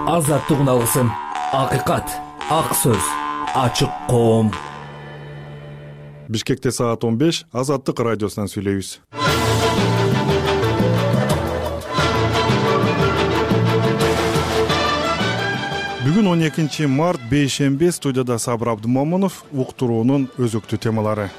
Азаттык алгысым, акыйкат, ак сөз, ачык коом. Бишкекте саат 15 Азаттык радиосунан сүйлөйбүз. Бүгүн 12 март бейшемби, студияда Сабыр Абдымомунов, уктуруунун өзөктүү темалары.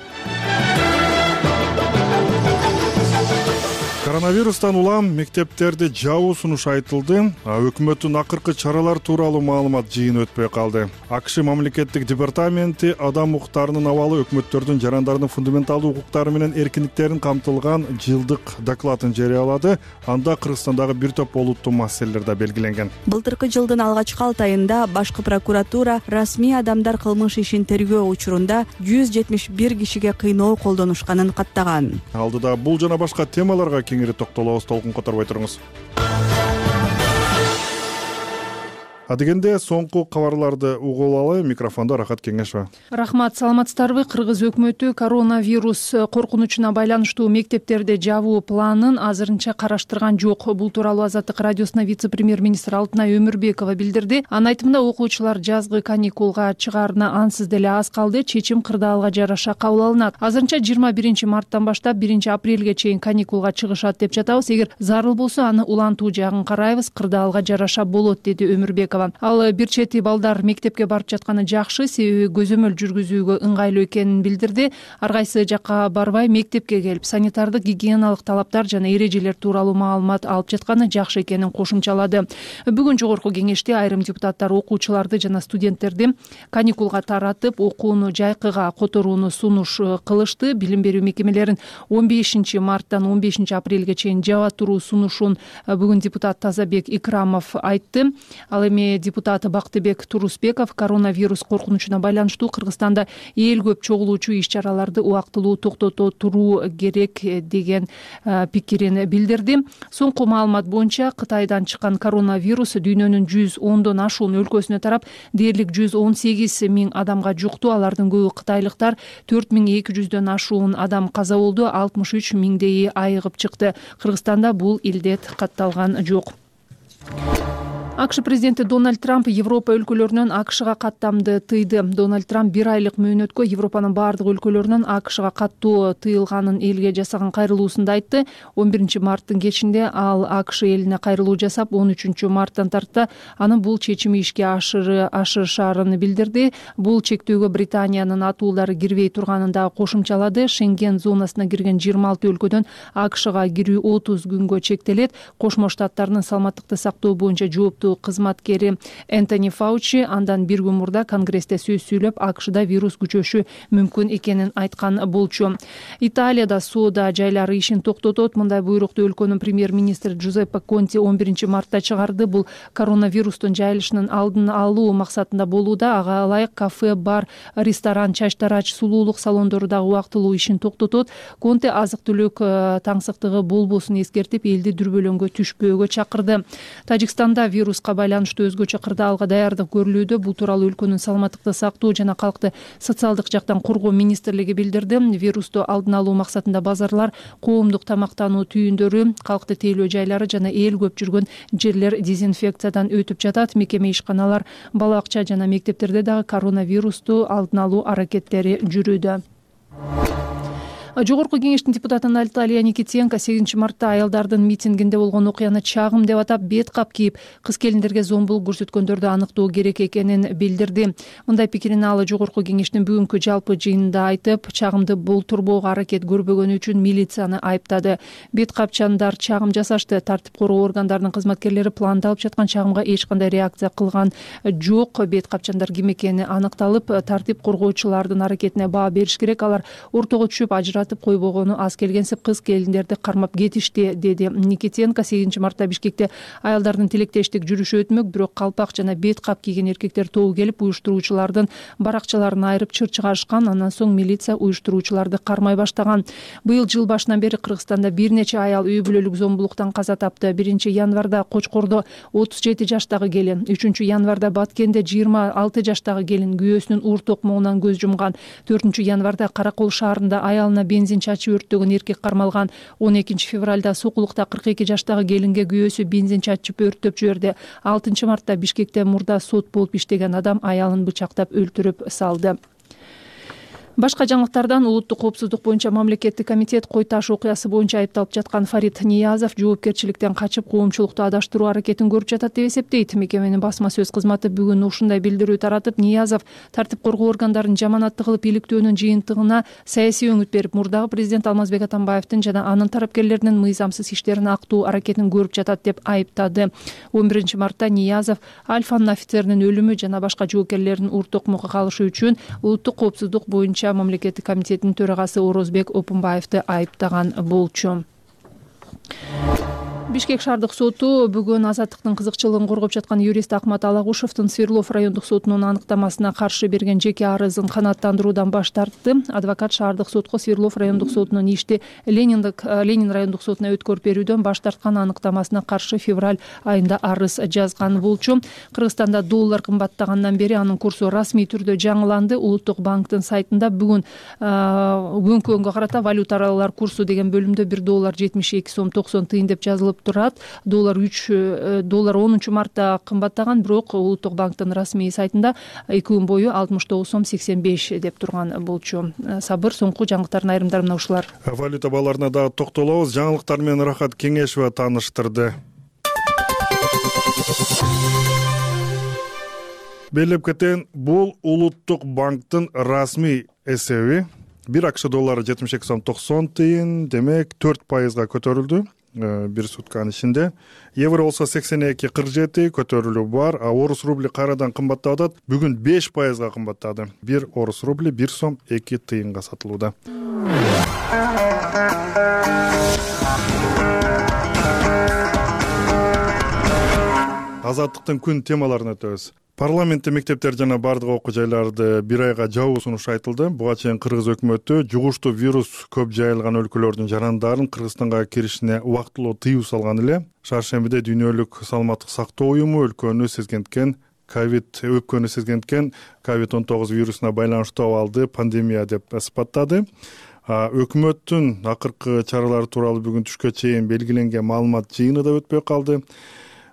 Коронавирустан улам мектептерди жабуу сунушу айтылды. Өкмөттүн акыркы чаралар тууралуу маалымат жыйыны өтпөй калды. АКШ мамлекеттик департаменти адам укуктарынын абалы өкмөттөрдүн жарандардын фундаменталдуу укуктары менен эркиндиктерин камтылган жылдык докладын жарыялады. Анда Кыргызстандагы бир топ олуттуу маселелер да белгиленген. Былтыркы жылдын алгачкы 6 айында башкы прокуратура расмий адамдар кылмыш ишин тергөө учурунда 171 кишиге кыйноо колдонушканын каттаган. Алдыда бул жана башка темаларга кеңири токтолобуз, толкун которбой туруңуз. Адегенде соңку кабарларды угулалы. Микрофондо Рахат Кеңешова. Рахмат, саламатсыздарбы? Кыргыз өкмөтү коронавирус коркунучуна байланыштуу мектептерди жабуу планын азырынча караштырган жок. Бул тууралуу Азаттык радиосуна вице-премьер-министр Алтынай Өмүрбекова билдирди. Анын айтымында окуучулар жазгы каникулга чыгаарына ансыз деле аз калды. Чечим кырдаалга жараша кабыл алынат. Азырынча 21 марттан баштап 1 апрелге чейин каникулга чыгышат деп жатабыз. Эгер зарыл болсо аны улантуу жагын карайбыз. Кырдаалга жараша болот, деди Өмүрбекова. Ал бир чети балдар мектепке барып жатканы жакшы, себеби көзөмөл жүргүзүүгө ыңгайлуу экенин билдирди. Ар кайсы жакка барбай мектепке келип, санитардык гигиеналык талаптар жана эрежелер тууралуу маалымат алып жатканы жакшы экенин кошумчалады. Бүгүн жогорку кеңеште айрым депутаттар окуучуларды жана студенттерди каникулга таратып, окууну жайкыга которууну сунуш кылышты. Билим берүү мекемелерин 15 марттан 15 апрелге чейин жаба туруу сунушун бүгүн депутат Тазабек Икрамов айтты. Ал эми депутат Бактыбек Турусбеков коронавирус коркунучуна байланыштуу Кыргызстанда эл көп чогулуучу иш-чараларды убактылуу токтото туруу керек деген пикирин билдирди. Соңку маалымат боюнча Кытайдан чыккан коронавирус дүйнөнүн 110дон ашуун өлкөсүнө тарап, дээрлик 118 миң адамга жукту. Алардын көбү кытайлыктар. 4200дөн ашуун адам каза болду, 63 миңдейи айыгып чыкты. Кыргызстанда бул илдет катталган жок. АКШ президенти Дональд Трамп Европа өлкөлөрүнөн АКШга каттамды тыйды. Дональд Трамп 1 айлык мөөнөткө Европанын бардык өлкөлөрүнөн АКШга каттуу тыйылганын элге жасаган кайрылуусунда айтты. 11 марттын кечинде ал АКШ элине кайрылуу жасап, 13 марттан тарта анын бул чечими ишке ашырышаарын билдирди. Бул чектөөгө Британиянын атуулдары кирбей турганын да кошумчалады. Шенген зонасына кирген 26 өлкөдөн АКШга кирүү 30 күнгө чектелет. Кошмо Штаттардын саламаттыкты сактоо боюнча жооптуу кызматкери Энтони Фаучи андан бир күн мурда Конгрессте сөз сүйлөп, АКШда вирус күчөшү мүмкүн экенин айткан болчу. Италияда соода жайлары ишин токтотот. Мындай буйрукту өлкөнүн премьер-министри Джузеппе Конти 11 мартта чыгарды. Бул коронавирустун жайылышынын алдын алуу максатында болууда. Ага ылайык кафе, бар, ресторан, чач тарач, сулуулук салондору дагы убактылуу ишин токтотот. Конте азык-түлүк таңсыктыгы болбосун эскертип, элди дүрбөлөңгө түшпөөгө чакырды. Тажикстанда вируска байланыштуу өзгөчө кырдаалга даярдык көрүлүүдө. Бул тууралуу өлкөнүн саламаттыкты сактоо жана калкты социалдык жактан коргоо министрлиги билдирди. Вирусту алдын алуу максатында базарлар, коомдук тамактануу түйүндөрү, калкты тейлөө жайлары жана эл көп жүргөн жерлер дезинфекциядан өтүп жатат. Мекеме ишканалар, бала бакча жана мектептерде дагы коронавирусту алдын алуу аракеттери жүрүүдө. Жогорку кеңештин депутаты Наталья Никитенко 8 мартта аялдардын митингинде болгон окуяны чагым деп атап, бет кап кийип, кыз-келиндерге зомбулук көрсөткөндөрдү аныктоо керек экенин билдирди. Мындай пикирин ал жогорку кеңештин бүгүнкү жалпы жыйынында айтып, чагымды болтурбоого аракет көрбөгөнү үчүн милицияны айыптады. Бет капчандар чагым жасашты. Тартип короо органдарынын кызматкерлери пландалып жаткан чагымга эч кандай реакция кылган жок. Бет капчандар ким экени аныкталып, тартип коргоочулардын аракетине баа бериш керек. Алар ортого түшүп ажыратып койбогону аз келгенсип, кыз-келиндерди кармап кетишти, деди Никитенко. 8 мартта Бишкекте аялдардын тилектештик жүрүшү өтмөк, бирок калпак жана бет кап кийген эркектер тобу келип, уюштуруучулардын баракчаларын айырып чыр чыгарышкан. Андан соң милиция уюштуруучуларды кармай баштаган. Быйыл жыл башынан бери Кыргызстанда бир нече аял үй бүлөлүк зомбулуктан каза тапты. 1 январда Кочкордо 37 жаштагы келин, 3 январда Баткенде 26 жаштагы келин күйөөсүнүн уур токмогунан көз жумган. 4 январда Каракол шаарында аялына бензин чачып өрттөгөн эркек кармалган. 12 февралда Сокулукта 42 жаштагы келинге күйөөсү бензин чачып өрттөп жиберди. 6 мартта Бишкекте мурда сот болуп иштеген адам аялын бычактап өлтүрүп салды. Башка жаңылыктардан улуттук коопсуздук боюнча мамлекеттик комитет Кой Таш окуясы боюнча айыпталып жаткан Фарид Ниязов жоопкерчиликтен качып коомчулукту адаштыруу аракетин көрүп жатат деп эсептейт. Мекеменин басма сөз кызматы бүгүн ушундай билдирүү таратып, Ниязов тартип коргоо органдарын жаманатты кылып иликтөөнүн жыйынтыгына саясий өңүт берип, мурдагы президент Алмазбек Атамбаевдин жана анын тарапкерлеринин мыйзамсыз иштерин актуу аракетин көрүп жатат деп айыптады. 11 мартта Ниязов Альфанын офицеринин өлүмү жана башка жоопкерлердин урт токмокко калышы үчүн улуттук коопсуздук боюнча мамлекеттик комитеттин төрагасы Орозбек Опунбаевди айыптаган болчу. Бишкек шаардык соту бүгүн азаттыктын кызыкчылыгын коргоп жаткан юрист Акмат Алагушевдин Свердлов райондук сотунун аныктамасына каршы берген жеке арызын канааттандыруудан баш тартты. Адвокат шаардык сотко Свердлов райондук сотунун ишти Ленин райондук сотуна өткөрүп берүүдөн баш тарткан аныктамасына каршы февраль айында арыз жазган болчу. Кыргызстанда доллар кымбаттагандан бери анын курсу расмий түрдө жаңыланды. Улуттук банктын сайтында бүгүн бүгүнкү күнгө карата валюталар курсу деген бөлүмдө 1 доллар 72 сом 90 тыйын деп жазылып турат. Доллар 10 мартта кымбаттаган, бирок Улуттук банктын расмий сайтында 2 күн бою 69 сом 85 деп турган болчу. Сабыр, соңку жаңылыктардын айрымдары мына ушулар. Валюта бааларына дагы токтолобуз. Жаңылыктар менен Рахат Кеңешева тааныштырды. Белеп кетен, бул Улуттук банктын расмий эсеби. 1 АКШ доллары 72 сом 90 тыйын, демек 4% көтөрүлдү. Bir сутканын ичинде. Евро болсо 82.47 көтөрүлүү бар, а орус рубли кайрадан кымбаттап атат. Бүгүн 5% кымбаттады. 1 орус рубли 1 сом 2 тыйынга сатылууда. Азаттыктын күн темаларын өтөбүз. Парламентте мектептер жана бардык окуу жайларды 1 айга жабуу сунушу айтылды. Буга чейин Кыргыз өкмөтү жугуштуу вирус көп жайылган өлкөлөрдүн жарандарын Кыргызстанга киришине убактылуу тыюу салган эле. Шаршембиде Дүйнөлүк саламаттык сактоо уюму өпкөнү сезгенткен COVID-19 вирусуна байланыштуу абалды пандемия деп сыпаттады. Өкмөттүн акыркы чаралары тууралуу бүгүн түшкө чейин белгиленген маалымат жыйыны да өтпөй калды.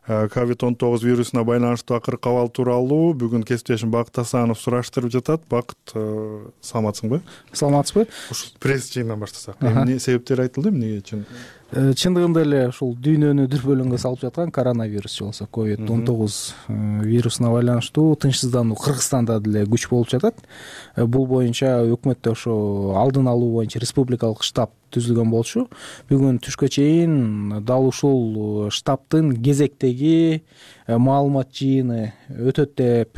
COVID-19 вирусуна байланыштуу акыркы абал тууралуу бүгүн кесиптешим Бакыт Асанов сураштырып жатат. Бакыт, саламатсыңбы? Саламатсызбы? Ушу пресс жыйындан баштасак. Эмне себептери айтылды, эмне үчүн? Чындыгында эле ушул дүйнөнү дүрбөлөңгө салып жаткан коронавирус же болбосо COVID-19 вирусуна байланыштуу тынчсыздануу Кыргызстанда деле күч болуп жатат. Бул боюнча өкмөттө ошо алдын алуу боюнча республикалык штаб түзүлгөн болчу. Бүгүн түшкө чейин дал ушул штабтын кезектеги маалымат жыйыны өтөт деп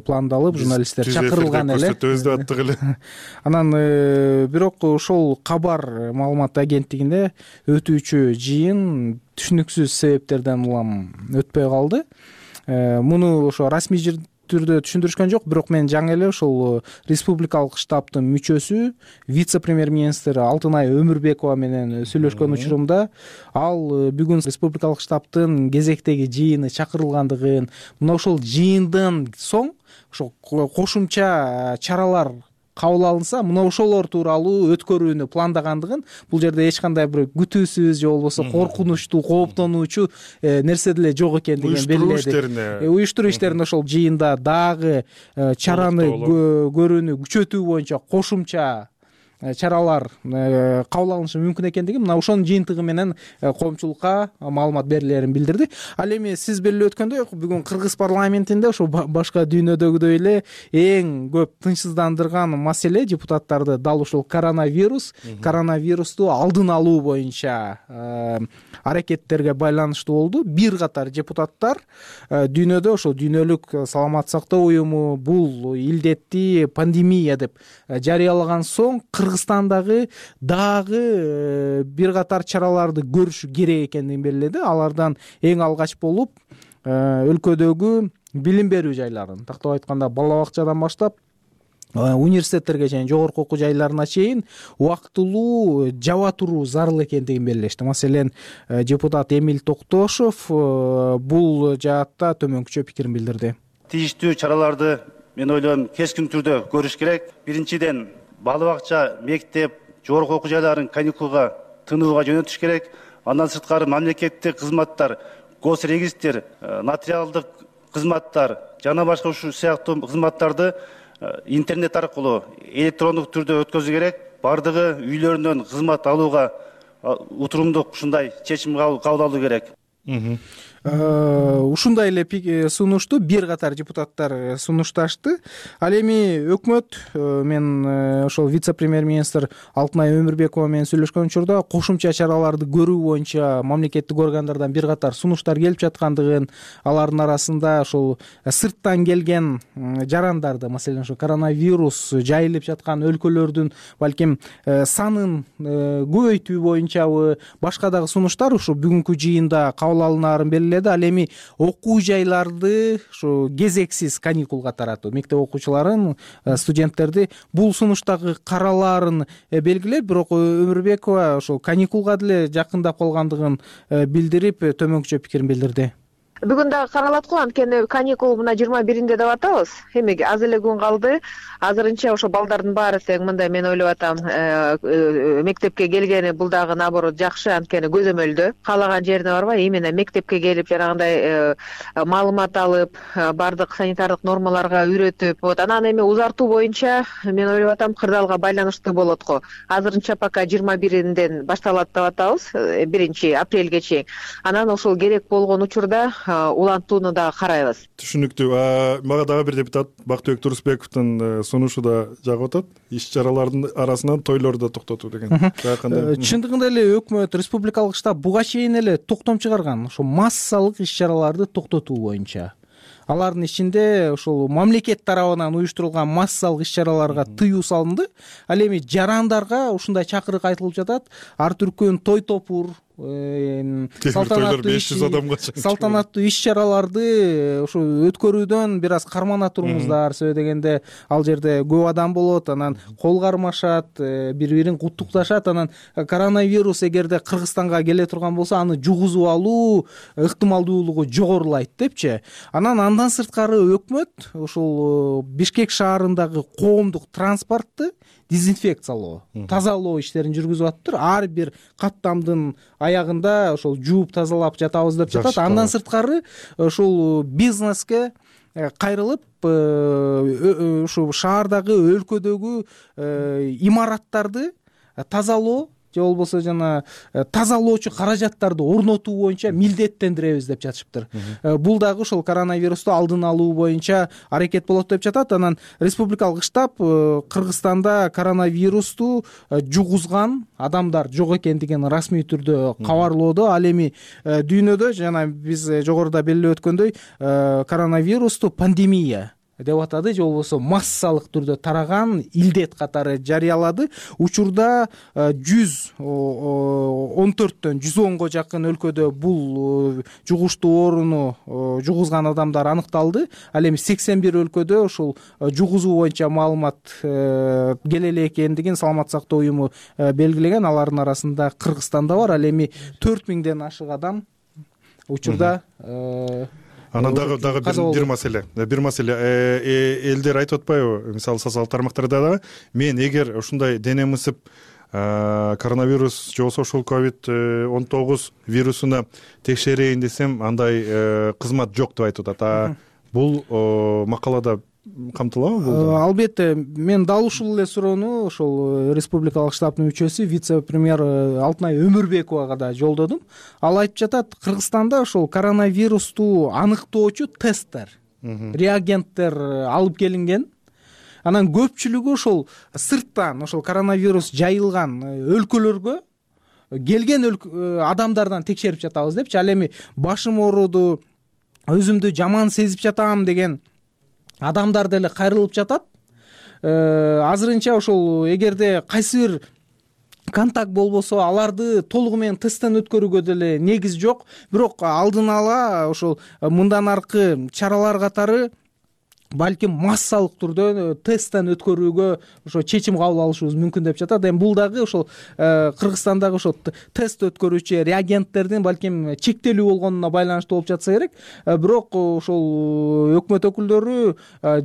пландалып, журналисттер чакырылган эле. Көрсөтөбүз аттык эле. Анан бирок ошол кабар маалымат агенттигинде өтүүчү жыйын түшүнүксүз себептерден улам өтпөй калды. Муну ошо расмий түрдө түшүндүрүшкөн жок, бирок мен жаңы эле ошол республикалык штабтын мүчөсү, вице-премьер-министр Алтынай Өмүрбекова менен сүйлөшкөн учурумда ал бүгүн республикалык штабтын кезектеги жыйыны чакырылгандыгын, мына ошол жыйындан соң ошо кошумча чаралар кабыл алынса, мына ошолор тууралуу өткөрүүнү пландагандыгын, бул жерде эч кандай бир күтүүсүз же болбосо коркунучтуу, кооптонуучу нерсе деле жок экендигин белгиледи. Уюштуруу иштерин ошол жыйында дагы чараны көрүүнү күчөтүү боюнча кошумча чаралар кабыл алынышы мүмкүн экендиги мына ошонун жыйынтыгы менен коомчулукка маалымат берилерин билдирди. Ал эми сиз белгилеп өткөндөй, бүгүн Кыргыз парламентинде ошо башка дүйнөдөгүдөй эле эң көп тынчсыздандырган маселе депутаттарды дал ушул коронавирусту алдын алуу боюнча аракеттерге байланыштуу болду. Бир катар депутаттар дүйнөдө ошо дүйнөлүк саламаттык сактоо уюму бул илдетти пандемия деп жарыялаган соң Кыргызстандагы дагы бир катар чараларды көрүш керек экендигин белгиледи. Алардан эң алгач болуп өлкөдөгү билим берүү жайларын, тактап айтканда бала бакчадан баштап университеттерге чейин, жогорку окуу жайларына чейин убактылуу жаба туруу зарыл экендигин белгилешти. Маселен, депутат Эмиль Токтошов бул жаатта төмөнкүчө пикирин билдирди. Тийиштүү чараларды мен ойлойм кескин түрдө көрүш керек. Биринчиден, бала бакча, мектеп, жогорку окуу жайларын каникулга тынууга жөнөтүш керек. Андан сырткары мамлекеттик кызматтар, госрегистр, нотариалдык кызматтар жана башка ушул сыяктуу кызматтарды интернет аркылуу электрондук түрдө өткөзүү керек. Бардыгы үйлөрүнөн кызмат алууга утурумдук ушундай чечим кабыл алуу керек. Ушундай эле сунушту бир катар депутаттар сунушташты. Ал эми өкмөт, мен ошол вице-премьер-министр Алтынай Өмүрбекова менен сүйлөшкөн учурда кошумча чараларды көрүү боюнча мамлекеттик органдардан бир катар сунуштар келип жаткандыгын, алардын арасында ошол сырттан келген жарандарды, маселен ошо коронавирус жайылып жаткан өлкөлөрдүн балким санын көбөйтүү боюнчабы, башка дагы сунуштар ушу бүгүнкү жыйында кабыл алынаарын белгиледи. Ал эми окуу жайларды ушу кезексиз каникулга таратуу, мектеп окуучуларын, студенттерди бул сунуштагы каралаарын белгилеп, бирок Өмүрбекова ошол каникулга деле жакындап калгандыгын билдирип, төмөнкүчө пикирин билдирди. Бүгүн дагы каралат го, анткени каникул мына 21-inde деп атабыз. Эми аз эле күн калды. Азырынча ошо балдардын баары тең мындай мен ойлоп атам, мектепке келгени бул дагы наоборот жакшы, анткени көзөмөлдө каалаган жерине барбай, именно мектепке келип жанагындай маалымат алып, бардык санитардык нормаларга үйрөтүп, анан эми узартуу боюнча мен ойлоп атам кырдаалга байланыштуу болот го. Азырынча пока 21-ден башталат деп атабыз, 1-апрелге чейин. Анан ошол керек болгон учурда улантууну дагы карайбыз. Түшүнүктүү. Мага дагы бир депутат Бактыбек Турусбековдун сунушу да жагып атат. Иш-чаралардын арасынан тойлорду да токтотуу деген. Чындыгында эле өкмөт, республикалык штаб буга чейин эле токтом чыгарган, ошо массалык иш-чараларды токтотуу боюнча. Алардын ичинде ошол мамлекет тарабынан уюштурулган массалык иш-чараларга тыюу салынды. Ал эми жарандарга ушундай чакырык айтылып жатат. Ар түркүн той топур, салтанаттуу иш-чараларды ушу өткөрүүдөн бир аз кармана туруңуздар, себеби дегенде ал жерде көп адам болот, анан кол кармашат, бири-бирин куттукташат, анан коронавирус эгерде Кыргызстанга келе турган болсо, аны жугузуп алуу ыктымалдуулугу жогорулайт депчи. Андан сырткары өкмөт ушул Бишкек шаарындагы коомдук транспортты дезинфекциялоо, тазалоо иштерин жүргүзүп атыптыр. Ар бир каттамдын аягында ошол жууп тазалап жатабыз деп жатат. Андан сырткары ушул бизнеске кайрылып, ушу шаардагы, өлкөдөгү имараттарды тазалоо же болбосо жана тазалоочу каражаттарды орнотуу боюнча милдеттендиребиз деп жатышыптыр. Бул дагы ошол коронавирусту алдын алуу боюнча аракет болот деп жатат. Анан республикалык штаб Кыргызстанда коронавирусту жугузган адамдар жок экендигин расмий түрдө кабарлоодо. Ал эми дүйнөдө жана биз жогоруда белгилеп өткөндөй коронавирусту пандемия деп атады, же болбосо массалык түрдө тараган илдет катары жарыялады. Учурда 114төн 110го жакын өлкөдө бул жугуштуу ооруну жугузган адамдар аныкталды. Ал эми 81 өлкөдө ушул жугузуу боюнча маалымат келе эле экендигин Саламаттык сактоо уюму белгилеген. Алардын арасында Кыргызстанда бар. Ал эми 4000ден ашык адам учурда Анан дагы бир маселе. Элдер айтып атпайбы? Мисалы социалдык тармактарда да мен эгер ушундай денем ысып коронавирус же болбосо ушул COVID-19 вирусуна текшерейин десем, андай кызмат жок деп айтып атат. Бул макалада камтылабы бул? Албетте, мен дал ушул эле суроону ошол республикалык штабтын мүчөсү вице-премьер Алтынай Өмүрбековага да жолдодум. Ал айтып жатат, Кыргызстанда ошол коронавирусту аныктоочу тесттер, реагенттер алып келинген. Анан көпчүлүгү ошол сырттан ошол коронавирус жайылган өлкөлөргө келген адамдардан текшерип жатабыз депчи. Ал эми башым ооруду, өзүмдү жаман сезип жатам деген адамдар деле кайрылып жатат. Азырынча ошол эгерде кайсы бир контакт болбосо, аларды толугу менен тесттен өткөрүүгө деле негиз жок. Бирок алдын ала ошол мындан аркы чаралар катары балким массалык түрдө тесттен өткөрүүгө ошо чечим кабыл алышыбыз мүмкүн деп жатат. Эми бул дагы ошол Кыргызстандагы ошо тест өткөрүүчү реагенттердин балким чектелүү болгонуна байланыштуу болуп жатса керек. Бирок ошол өкмөт өкүлдөрү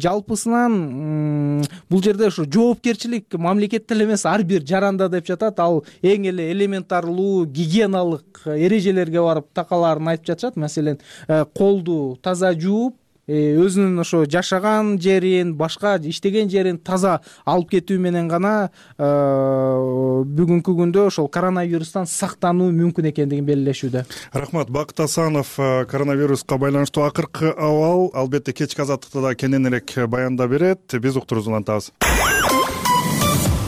жалпысынан бул жерде ошо жоопкерчилик мамлекетте эле эмес ар бир жаранда деп жатат. Ал эң эле элементарлуу гигиеналык эрежелерге барып такалаарын айтып жатышат. Маселен, колду таза жууп, өзүнүн ошо жашаган жерин, башка иштеген жерин таза алып кетүү менен гана бүгүнкү күндө ошол коронавирустан сактануу мүмкүн экендигин белгилешүүдө. Рахмат. Бакыт Асанов коронавируска байланыштуу акыркы абал албетте кечки азаттыкта да кененирээк баяндап берет. Биз уктуруубузду улантабыз.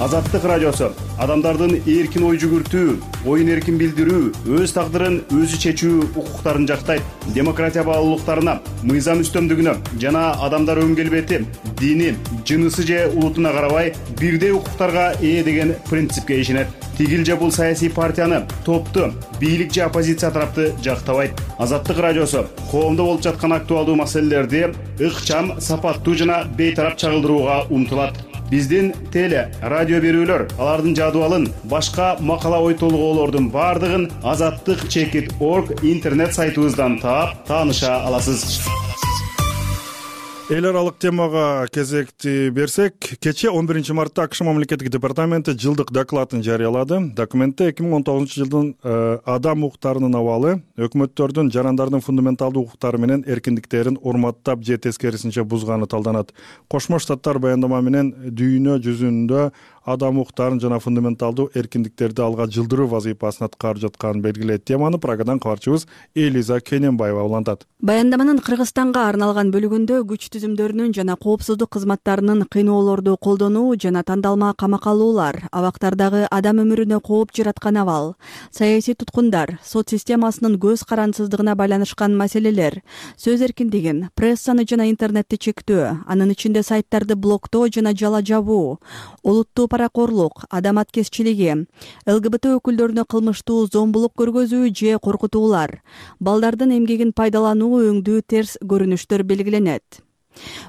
Азаттык радиосу адамдардын эркин ой жүгүртүү, оюн эркин билдирүү, өз тагдырын өзү чечүү укуктарын жактайт. Демократия баалуулуктарына, мыйзам үстөмдүгүнө жана адамдар өн келбети, дини, жынысы же улутуна карабай бирдей укуктарга ээ деген принципке ишенет. Тигил же бул саясий партияны, топту, бийлик же оппозиция тарапты жактабайт. Азаттык радиосу коомдо болуп жаткан актуалдуу маселелерди ыкчам, сапаттуу жана бейтарап чагылдырууга умтулат. Биздин теле, радио берүүлөр, алардын жадыбалын, башка макала ой толгоолордун бардыгын azattik.org интернет сайтыбыздан таап, тааныша аласыз. Эл аралык темага кезекти берсек, кечээ 11 мартта АКШ мамлекеттик департаменти жылдык докладын жарыялады. Документте 2019-жылдын адам укуктарынын абалы, өкмөттөрдүн жарандардын фундаменталдуу укуктары менен эркиндиктерин урматтап же тескерисинче бузганы талданат. Кошмо Штаттар баяндама менен дүйнө жүзүндө адам укуктарын жана фундаменталдуу эркиндиктерди алга жылдыруу вазыйфасын аткарып жатканын белгилейт. Теманы Прагадан кабарчыбыз Элиза Кененбаева улантат. Баяндаманын Кыргызстанга арналган бөлүгүндө күч түзүмдөрүнүн жана коопсуздук кызматтарынын кыйноолорду колдонуу жана тандалма камакка алуулар, абактардагы адам өмүрүнө кооп жараткан абал, саясий туткундар, сот системасынын көз карансыздыгына байланышкан маселелер, сөз эркиндигин, прессаны жана интернетти чектөө, анын ичинде сайттарды блоктоо жана жала жабуу, улуттуу паракорлук, адам аткезчилиги, ЛГБТ өкүлдөрүнө кылмыштуу зомбулук көргөзүү же коркутуулар, балдардын эмгегин пайдалануу өңдүү терс көрүнүштөр белгиленет.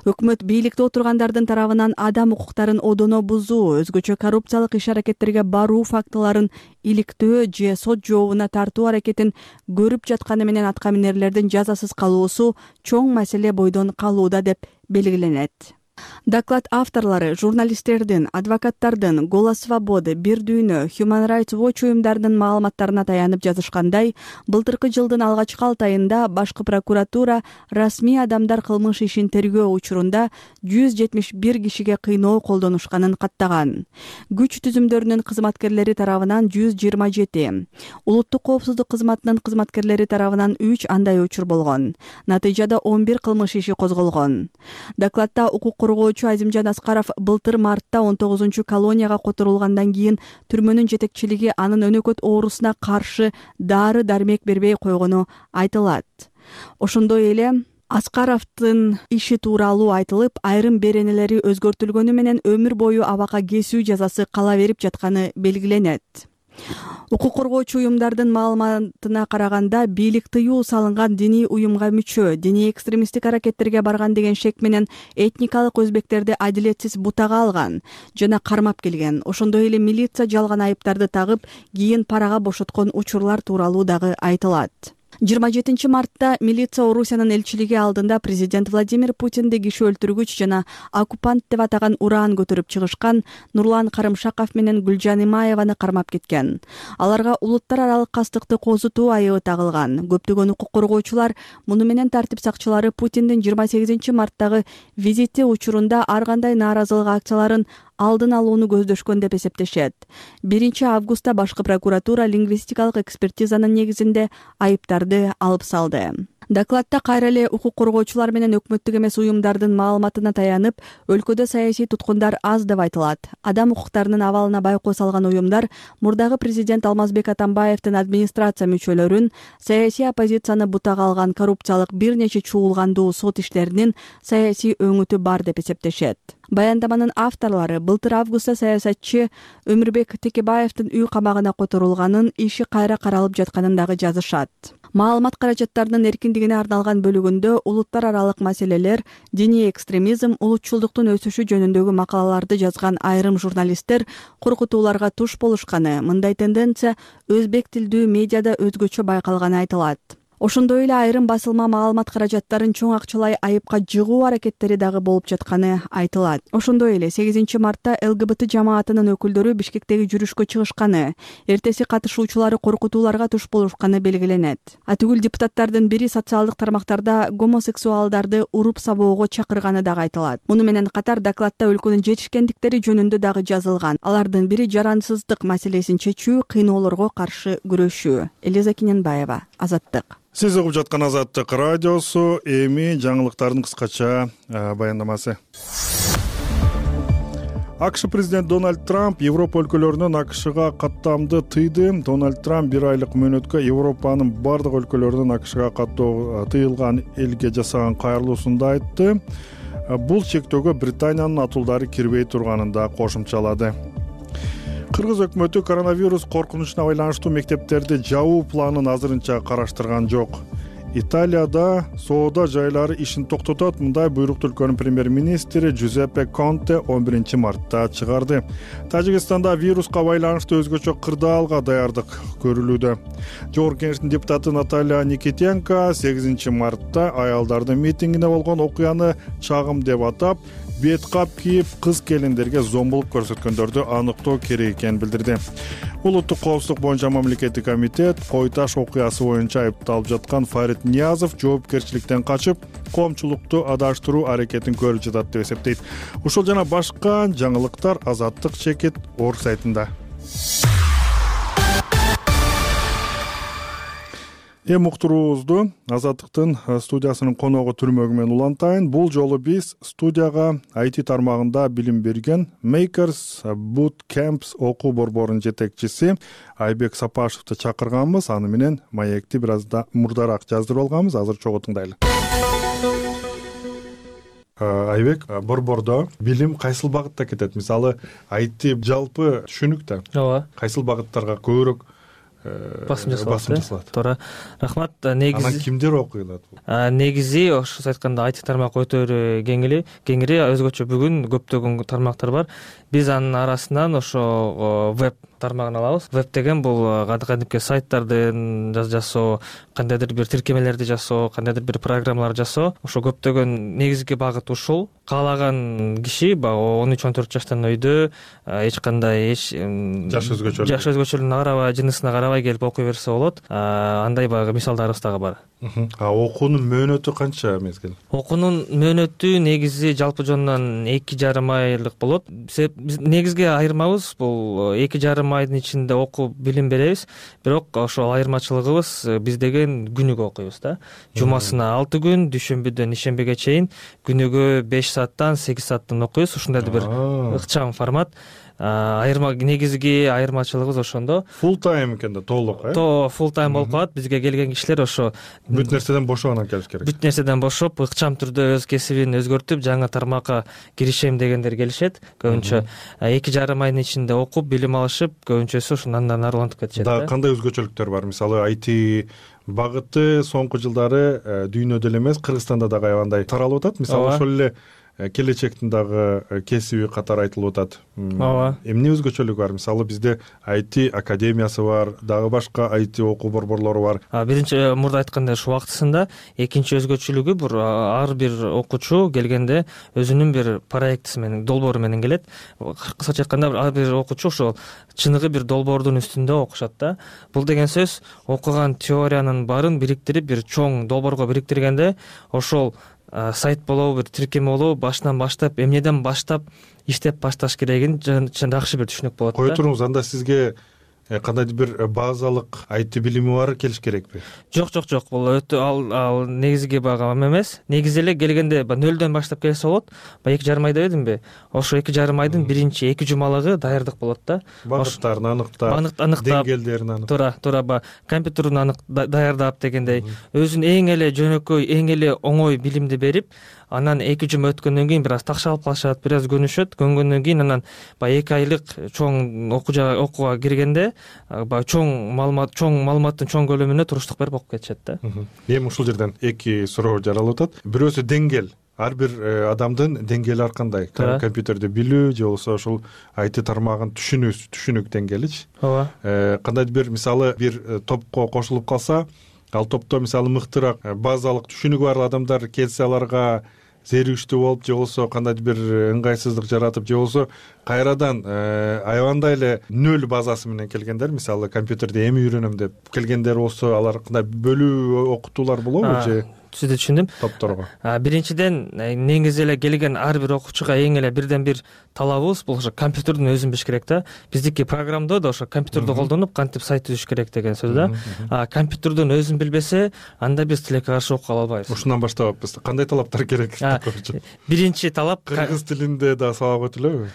Өкмөт бийликте отургандардын тарабынан адам укуктарын одоно бузуу, өзгөчө коррупциялык иш-аракеттерге баруу фактыларын иликтөө же сот жообуна тартуу аракетин көрүп жатканы менен аткаминерлердин жазасыз калуусу чоң маселе бойдон калууда деп белгиленет. Доклад авторлору журналисттердин, адвокаттардын, Голос Свободы, Бир дүйнө, Human Rights Watch уюмдарынын маалыматтарына таянып жазышкандай, былтыркы жылдын алгачкы 6 айында башкы прокуратура расмий адамдар кылмыш ишин тергөө учурунда 171 кишиге кыйноо колдонушканын каттаган. Күч түзүмдөрүнүн кызматкерлери тарабынан 127, улуттук коопсуздук кызматынын кызматкерлери тарабынан 3 андай учур болгон. Натыйжада 11 кылмыш иши козголгон. Докладда укук коргоочу Азимжан Аскаров былтыр мартта 19 колонияга которулгандан кийин түрмөнүн жетекчилиги анын өнөкөт оорусуна каршы дары-дармек бербей койгону айтылат. Ошондой эле Аскаровдун иши тууралуу айтылып, айрым беренелери өзгөртүлгөнү менен өмүр бою абакка кесүү жазасы кала берип жатканы белгиленет. Укук коргоочу уюмдардын маалыматына караганда, бийлик тыюу салынган диний уюмга мүчө, диний экстремисттик аракеттерге барган деген шек менен этникалык өзбектерди адилетсиз бутага алган жана кармап келген. Ошондой эле милиция жалган айыптарды тагып, кийин парага бошоткон учурлар тууралуу дагы айтылат. 27 мартта милиция Орусиянын элчилиги алдында президент Владимир Путинди киши өлтүргүч жана оккупант деп атаган уран көтөрүп чыгышкан Нурлан Карымшаков менен Гүлжан Имаеваны кармап кеткен. Аларга улуттар аралык кастыкты козутуу айыбы тагылган. Көптөгөн укук коргоочулар муну менен тартип сакчылары Путиндин 28 марттагы визити учурунда ар кандай нааразылык акцияларын алдын алууну көздөшкөн деп эсептешет. 1 августта башкы прокуратура лингвистикалык экспертизанын негизинде айыптарды алып салды. Докладта кайра эле укук коргоочулар менен өкмөттүк эмес уюмдардын маалыматына таянып, өлкөдө саясий туткундар аз деп айтылат. Адам укуктарынын абалына байкоо салган уюмдар мурдагы президент Алмазбек Атамбаевдин администрация мүчөлөрүн, саясий оппозицияны бутага алган коррупциялык бир нече чуулгандуу сот иштеринин саясий өңүтү бар деп эсептешет. Баяндаманын авторлору былтыр августта саясатчы Өмүрбек Текебаевдин үй камагына которулганын, иши кайра каралып жатканын дагы жазышат. Маалымат каражаттарынын эркиндиги эркиндигине арналган бөлүгүндө улуттар аралык маселелер, диний экстремизм, улутчулдуктун өсүшү жөнүндөгү макалаларды жазган айрым журналисттер коркутууларга туш болушканы, мындай тенденция өзбек тилдүү медиада өзгөчө байкалганы айтылат. Ошондой эле айрым басылма маалымат каражаттарын чоң акчалай айыпка жыгуу аракеттери дагы болуп жатканы айтылат. Ошондой эле 8 мартта ЛГБТ жамаатынын өкүлдөрү Бишкектеги жүрүшкө чыгышканы, эртеси катышуучулары коркутууларга туш болушканы белгиленет. Атүгүл депутаттардын бири социалдык тармактарда гомосексуалдарды уруп сабоого чакырганы дагы айтылат. Муну менен катар докладда өлкөнүн жетишкендиктери жөнүндө дагы жазылган. Алардын бири жарансыздык маселесин чечүү, кыйноолорго каршы күрөшүү. Элиза Киненбаева, Азаттык. Сиз угуп жаткан Азаттык радиосу, эми жаңылыктардын кыскача баяндамасы. АКШ президент Дональд Трамп Европа өлкөлөрүнөн АКШга каттамды тыйды. Дональд Трамп 1 айлык мөөнөткө Европанын бардык өлкөлөрүнөн АКШга каттоо тыйылган элге жасаган кайрылуусунда айтты. Бул чектөөгө Британиянын атуулдары кирбей турганын да кошумчалады. Кыргыз өкмөтү коронавирус коркунучуна байланыштуу мектептерди жабуу планын азырынча караштырган жок. Италияда соода жайлары ишин токтотот. Мындай буйрукту өлкөнүн премьер-министри Джузеппе Конте 11 мартта чыгарды. Тажикстанда вируска байланыштуу өзгөчө кырдаалга даярдык көрүлүүдө. Жогорку кеңештин депутаты Наталья Никитенко 8 мартта аялдардын митингине болгон окуяны чагым деп атап, бет кап кийип кыз келиндерге зомбулук көрсөткөндөрдү аныктоо керек экенин билдирди. Улуттук коопсуздук боюнча мамлекеттик комитет кой таш окуясы боюнча айыпталып жаткан Фарид Ниязов жоопкерчиликтен качып, коомчулукту адаштыруу аракетин көрүп жатат деп эсептейт. Ушул жана башка жаңылыктар Азаттык чекит орг сайтында. Эми уктуруубузду Азаттыктын студиясынын коногу түрмөгү менен улантайын. Бул жолу биз студияга IT тармагында билим берген Makers Bootcamps окуу борборунун жетекчиси Айбек Сапашевди чакырганбыз. Аны менен маекти бир аз да мурдараак жаздырып алганбыз. Азыр чогуу тыңдайлы. Айбек, борбордо билим кайсыл багытта кетет? Мисалы, IT жалпы түшүнүктө. Ооба. Кайсыл багыттарга көбүрөөк басым жасалат. Туура. Рахмат. Негизи анан кимдер окуйлат? Негизи ошо айтканда IT тармак өтө кеңири, өзгөчө бүгүн көптөгөн тармактар бар. Биз анын арасынан ошо веб тармагын алабыз. Веб деген бул кадимки сайттарды жасоо, кандайдыр бир тиркемелерди жасоо, кандайдыр бир программалар жасоо. Ошо көптөгөн негизги багыт ушул. Каалаган киши 13-14 жаштан өйдө эч кандай жаш өзгөчөлүгүнө карабай, жынысына карабай келип окуй берсе болот. Андай багы мисалдарыбыз дагы бар. Окуунун мөөнөтү канча мезгил? Окуунун мөөнөтү негизи жалпы жонунан 2,5 айлык болот. Негизги айырмабыз бул 2,5 айдын ичинде окуп билим беребиз. Бирок ошол айырмачылыгыбыз биз деген күнүгө окуйбуз да. Жумасына 6 күн, дүйшөмбүдөн ишембиге чейин күнүгө 5 сааттан 8 сааттан окуйбуз. Ушундай бир ыкчам формат. Негизги айырмачылыгыбыз ошондо. Full time экен да, толук, Full time болуп калат. Бизге келген кишилер ошо бүт нерседен бошогон келиш керек. Бүт нерседен бошоп, ыкчам түрдө өз кесибин өзгөртүп, жаңы тармакка киришем дегендер келишет. Көбүнчө 2,5 айдын ичинде окуп, билим алышып, көбүнчөсү ошондан нарылантып кетишет. Да, кандай өзгөчөлүктөр бар? Мисалы, IT багыты соңку жылдары дүйнөдө эле эмес, Кыргызстанда дагы аябандай таралып атат. Мисалы, ошол эле келечектин дагы кесиби катары айтылып атат. Ооба. Эмне өзгөчөлүгү бар? Мисалы, бизде IT академиясы бар, дагы башка IT окуу борборлору бар. Биринчи мурда айткандай ушу убактысында, экинчи өзгөчөлүгү ар бир окуучу келгенде өзүнүн бир проектиси менен, долбоору менен келет. Кыскача айтканда, ар бир окуучу ошол чыныгы бир долбоордун үстүндө окушат да. Бул деген сөз окуган теориянын баарын бириктирип, бир чоң долбоорго бириктиргенде ошол сайт болобу, бир тиркеме болобу, башынан баштап, эмнеден баштап иштеп башташ керегин жакшы бир түшүнүк болот. Кое туруңуз, анда сизге кандайдыр бир базалык IT билими бар келиш керекпи? Жок, бул өтө ал негизги багам эмес. Негизи эле келгенде нөлдөн баштап келсе болот. 2,5 айда дедимби? Ошо 2,5 айдын биринчи 2 жумалыгы даярдык болот да. Багыттарын аныктап, деңгээлдерин аныктап. Туура, компьютерин даярдап дегендей, өзүнүн эң эле жөнөкөй, эң эле оңой билимди берип, анан 2 жума өткөндөн кийин бир аз такшалып калышат, бир аз көнгөндөн кийин анан баягы 2 айлык чоң окууга киргенде баягы чоң маалыматтын чоң көлөмүнө туруштук берип окуп кетишет да. Эми ушул жерден 2 суроо жаралып атат. Бирөөсү деңгэл. Ар бир адамдын деңгээли ар кандай? Компьютерди билүү же болбосо ушул IT тармагын түшүнүк деңгээличи. Ооба. Кандайдыр бир мисалы бир топко кошулуп калса, ал топто мисалы мыктыраак базалык түшүнүгү бар адамдар келсе, аларга зеригиштүү болуп же болбосо кандайдыр бир ыңгайсыздык жаратып же болбосо кайрадан аябандай эле нөл базасы менен келгендер, мисалы компьютерди эми үйрөнөм деп келгендер болсо, алар кандай бөлүү окутуулар болобу же? Сизди түшүндүм. Топторго. Биринчиден, негизи эле келген ар бир окуучуга эң эле бирден бир талабыбыз бул ошо компьютердин өзүн билиш керек да. Биздики программдоо да ошо компьютерди колдонуп кантип сайт түзүш керек деген сөз да. Компьютердин өзүн билбесе, анда биз тилекке каршы окуп кала албайбыз. Ушундан баштабаппыз. Кандай талаптар керек? Биринчи талап кыргыз тилинде да сабак өтүлөбү?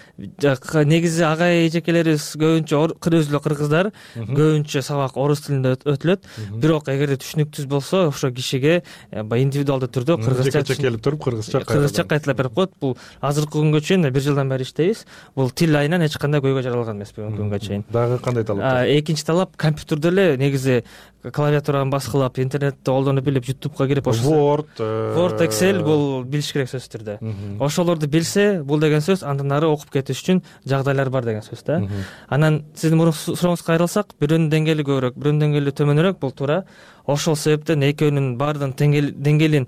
Негизи агай эжекелерибиз көбүнчө өзү эле кыргыздар, көбүнчө сабак орус тилинде өтүлөт. Бирок эгерде түшүнүксүз болсо, ошо кишиге индивидуалдуу түрдө кыргызча келип туруп кыргызча кайталап берип коет. Бул азыркы күнгө чейин 1 жылдан бери иштейбиз. Бул тил айынан эч кандай көйгөй жаралган эмес бүгүнкү күнгө чейин. Дагы кандай талап? Экинчи талап, компьютерде эле негизи клавиатураны баскылап, интернетти колдонуп билип, YouTubeга кирип, Word, Excel бул билиш керек сөзсүз түрдө. Ошолорду билсе, бул деген сөз андан ары окуп кетиш үчүн жагдайлар бар деген сөз да. Анан сиздин сурооңузга кайрылсак, бирөөнүн деңгээли көбүрөөк, бирөөнүн деңгээли төмөнүрөөк, бул туура. Ошол себептен экөөнүн баардыгын деңгээлин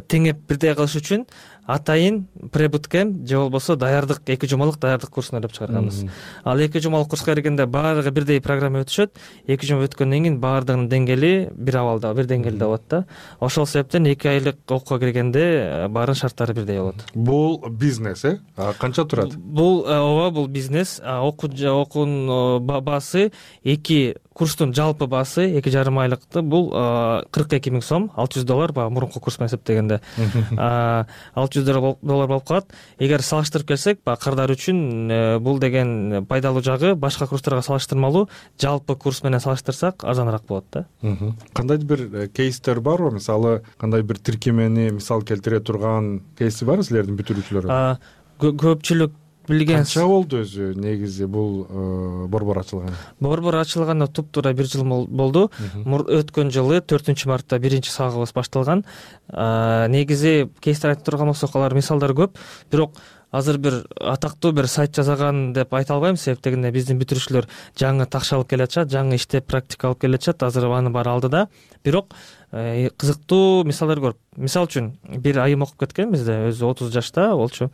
теңеп бирдей кылыш үчүн атайын пребуткем же болбосо даярдык 2 жумалык даярдык курсун ойлоп чыгарганбыз. Ал 2 жумалык курска киргенде баардыгы бирдей программа өтүшөт. 2 жума өткөндөн кийин баардыгынын деңгээли бир абалда, бир деңгээлде болот да. Ошол себептен 2 айлык окууга киргенде баарын шарттары бирдей болот. Бул бизнес, канча турат? Бул ооба, бул бизнес. Окуунун баасы 2 курстун жалпы баасы 2,5 айлыкты. Бул 42 000 сом, $600 баягы мурунку курс менен эсептегенде. $600 болуп калат. Эгер салыштырып келсек, кардар үчүн бул деген пайдалуу жагы башка курстарга салыштырмалуу, жалпы курс менен салыштырсак арзаныраак болот да. Кандайдыр бир кейстер барбы? Мисалы, кандай бир тиркемени мисал келтире турган кейси барбы силердин бүтүрүүчүлөрү? Көпчүлүк билген. Канча болду өзү негизи бул борбор ачылган? Борбор ачылганына туп-туура 1 жыл болду. Өткөн жылы 4-мартта 1-чи сагыбыз башталган. Негизи кейстер айтып турган болсок, алар мисалдар көп. Бирок азыр бир атактуу бир сайт жасаган деп айта албайм, себептегенде биздин бүтүрүүчүлөр жаңы такшалып келатышат, жаңы иштеп практика алып келатышат, азыр анын баары алдыда. Бирок кызыктуу мисалдар көрүп, мисал үчүн бир айым окуп кеткен бизде, өзү 30 жашта болчу.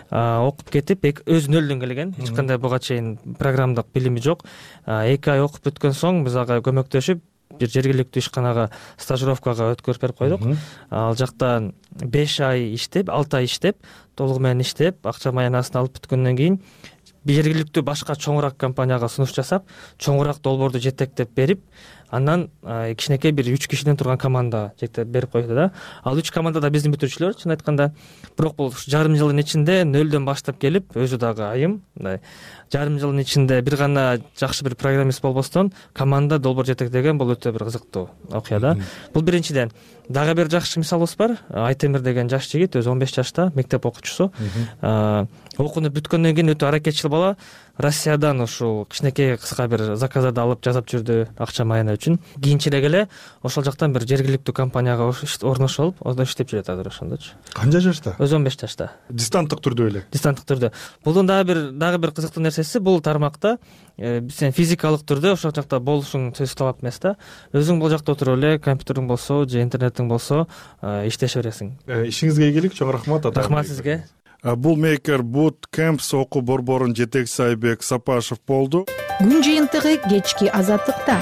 Окуп кетип, өз нөлдөн келген, эч кандай буга чейин программдык билими жок. 2 ай окуп өткөн соң биз ага көмөктөшүп бир жергиликтүү ишканага стажировкага өткөрүп берип койдук. Ал жакта 5 ай иштеп, 6 ай иштеп, толугу менен иштеп, акча маянасын алып бүткөндөн кийин жергиликтүү башка чоңураак компанияга сунуш жасап, чоңураак долбоорду жетектеп берип, андан кичинекей бир 3 кишиден турган команда жетектеп берип койду да. Ал 3 команда да биздин бүтүрүүчүлөр, чын айтканда. Бирок бул жарым жылдын ичинде нөлдөн баштап келип, өзү дагы айым, жарым жылдын ичинде бир гана жакшы бир программист болбостон команда долбоор жетектеген, бул өтө бир кызыктуу окуя да. Бул биринчиден. Дагы бир жакшы мисалыбыз бар. Айтемир деген жаш жигит, өзү 15 жашта, мектеп окуучусу. Окууну бүткөндөн кийин өтө аракетчил бала. Россиядан ушул кичинекей кыска бир заказдарды алып жасап жүрдү акча маяна үчүн. Кийинчерээк эле ошол жактан бир жергиликтүү компанияга орношуп алып, ондо иштеп жүрөт азыр ошондочу. Канча жашта? Өзү 15 жашта. Дистанттык түрдө эле. Дистанттык түрдө. Булдун дагы бир кызыктуу нерсеси, бул тармакта сен физикалык түрдө ошол жакта болушуң сөзсүз талап эмес да. Өзүң бул жакта отуруп эле компьютериң болсо же интернетиң болсо иштеше бересиң. Ишиңизге ийгилик, чоң рахмат. Рахмат сизге. Бул Maker Bootcamps окуу борборунун жетекчиси Айбек Сапашев болду. Күн жыйынтыгы кечки азаттыкта.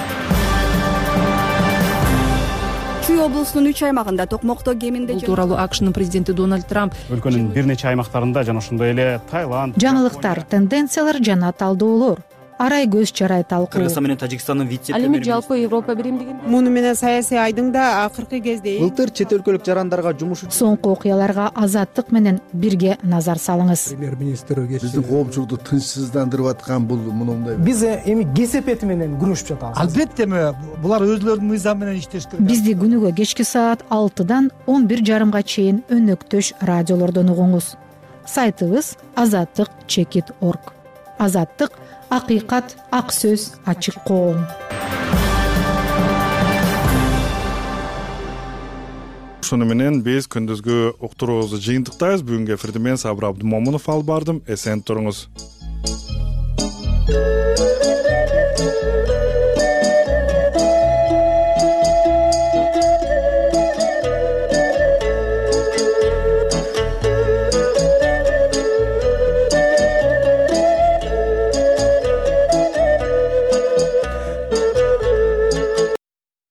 Чүй облусунун 3 аймагында токмокто кеминде Бул тууралуу АКШнын президенти Дональд Трамп өлкөнүн бир нече аймактарында жана ошондой эле Таиланд. Жаңылыктар, тенденциялар жана талдоолор. арай көз чарай талкуу. Кыргызстан менен Тажикстандын вице ал эми жалпы Европа биримдигин муну менен саясий айдыңда акыркы кезде былтыр чет өлкөлүк жарандарга жумуш Соңку окуяларга Азаттык менен бирге назар салыңыз. Премьер-министр биздин коомчулукту тынчсыздандырып аткан бул мындай. Биз эми кесепети менен күрөшүп жатабыз. Албетте булар өзлөрүнүн мыйзамы менен иштеш керек. Бизди күнүгө кечки саат 6-дан 11:30 чейин өнөктөш радиолордон угуңуз. Сайтыбыз azattik.org. Азаттык — акыйкат, ак сөз, ачык коом. Ушуну менен биз күндүзгү уктуруубузду жыйынтыктайбыз. Бүгүнкү эфирди мен Сабыр Абдымомунов алып бардым. Эсен туруңуз.